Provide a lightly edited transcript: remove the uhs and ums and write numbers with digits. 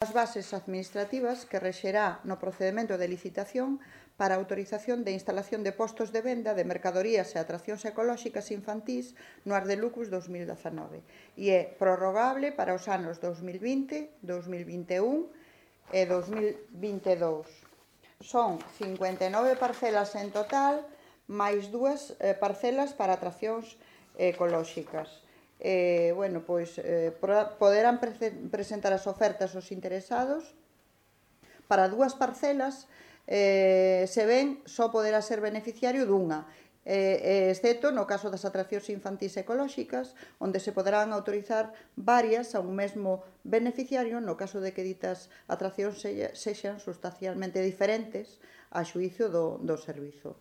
as bases administrativas que rexerá no procedemento de licitación para a autorización de instalación de postos de venda de mercadorías e atraccións ecolóxicas infantís no Ardelucus 2019 e é prorrogable para os anos 2020, 2021 e 2022. Son 59 parcelas en total, máis 2 parcelas para atraccións ecolóxicas. Poderán presentar as ofertas os interesados. Para 2 parcelas, se ven, só poderá ser beneficiario dunha, excepto no caso das atraccións infantís ecolóxicas, onde se poderán autorizar varias a un mesmo beneficiario no caso de que ditas atraccións sexan sustancialmente diferentes a xuízo do servizo.